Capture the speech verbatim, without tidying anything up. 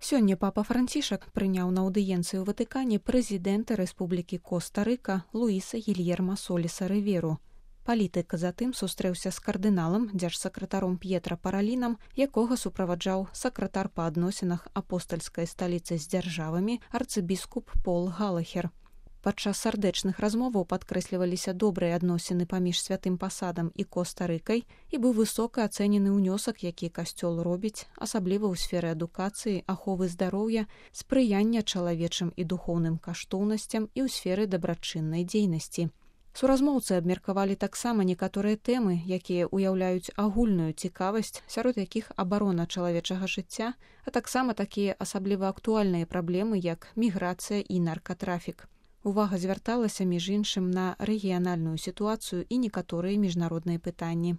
Сёння папа Францішак прыняў на аўдыенцыі ў Ватыкане прэзідэнта Рэспублікі Коста-Рыка Луіса Гільерма Соліса Рыверу. Палітык затым сустрэўся з кардыналам, дзяржсакратаром П'етра Паралінам, якога суправаджаў сакратар па адносінах апостальскай сталіцы з дзяржавамі арцыбіскуп Пол Галахер. Падчас сардэчных размоваў падкрэсліваліся добрыя адносіны паміж святым пасадам і Коста-Рыкай і быў высока ацэнены ўнёсак, які касцёл робіць, асабліва ў сферы адукацыі, аховы здароўя, спрыяння чалавечым і духоўным каштоўнасцям і ў сферы дабрачыннай дзейнасці. Суразмоўцы абмеркавалі таксама некаторыя тэмы, якія ўяўляюць агульную цікавасць, сярод якіх абарона чалавечага жыцця, а таксама такія асабліва актуальныя праблемы, як міграцыя і наркатрафік. Увага звярталася, між іншым, на рэгіянальную сітуацыю і некаторыя міжнародныя пытанні.